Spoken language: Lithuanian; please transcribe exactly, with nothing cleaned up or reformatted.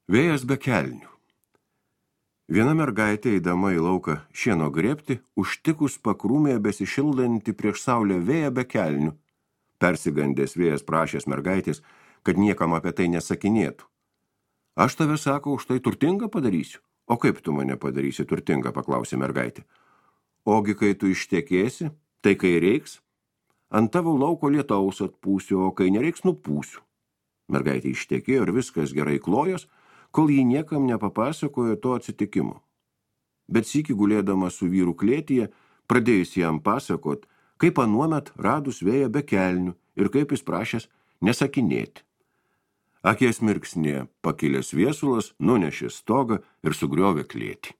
Vėjas be kelnių. Viena mergaitė, eidama į lauką šieno grėbti, užtikus pakrūmėje besišildantį prieš saulę vėją be kelnių. Persigandęs vėjas prašęs mergaitės, kad niekam apie tai nesakinėtų. Aš tave, sako, už tai turtingą padarysiu. O kaip tu mane padarysi turtingą, paklausė mergaitė. Ogi, kai tu ištekėsi, tai kai reiks, ant tavo lauko lietaus atpūsiu, o kai nereiks, nupūsiu. Mergaitė ištekėjo ir viskas gerai klojos, kol jį niekam nepapasakojo to atsitikimo. Bet sykį gulėdama su vyru klėtyje, pradėjus jam pasakot, kaip anuomet radus vėją be kelnių ir kaip jis prašęs nesakinėti. Akies mirksnė pakilęs viesulas nunešė stogą ir sugriovė klėtį.